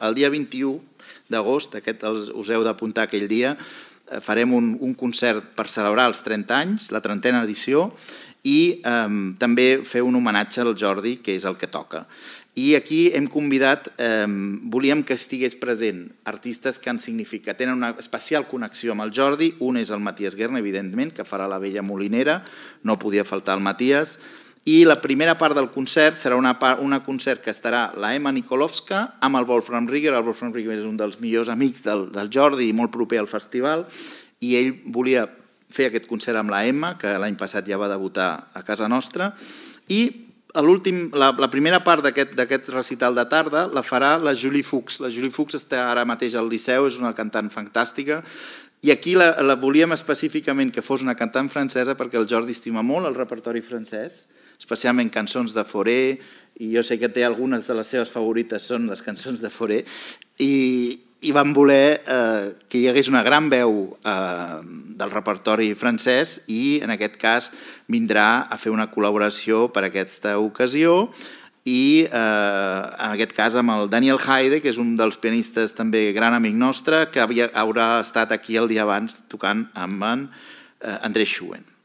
El dia 21 d'agost, us heu d'apuntar aquell dia, farem un concert per celebrar els 30 anys, la 30a edició, i també fer un homenatge al Jordi, que és el que toca. I aquí hem convidat, volíem que estigués present artistes que han significat, tenen una especial connexió amb el Jordi. Un és el Matías Guerna, evidentment, que farà la Vella Molinera, no podia faltar el Matías. I la primera part del concert serà un concert que estarà la Emma Nikolovska amb el Wolfram Rieger. El Wolfram Rieger és un dels millors amics del Jordi i molt proper al festival, i ell volia fer aquest concert amb la Emma, que l'any passat ja va debutar a casa nostra, i la primera part d'aquest recital de tarda la farà la Julie Fuchs. La Julie Fuchs està ara mateix al Liceu, és una cantant fantàstica, i aquí la volíem específicament que fos una cantant francesa perquè el Jordi estima molt el repertori francès, especialment cançons de Fauré, i jo sé que té algunes de les seves favorites són les cançons de Fauré, i vam voler que hi hagués una gran veu del repertori francès, i en aquest cas vindrà a fer una col·laboració per a aquesta ocasió, i en aquest cas amb el Daniel Haide, que és un dels pianistes també gran amic nostre, que haurà estat aquí el dia abans tocant amb en André Schoen.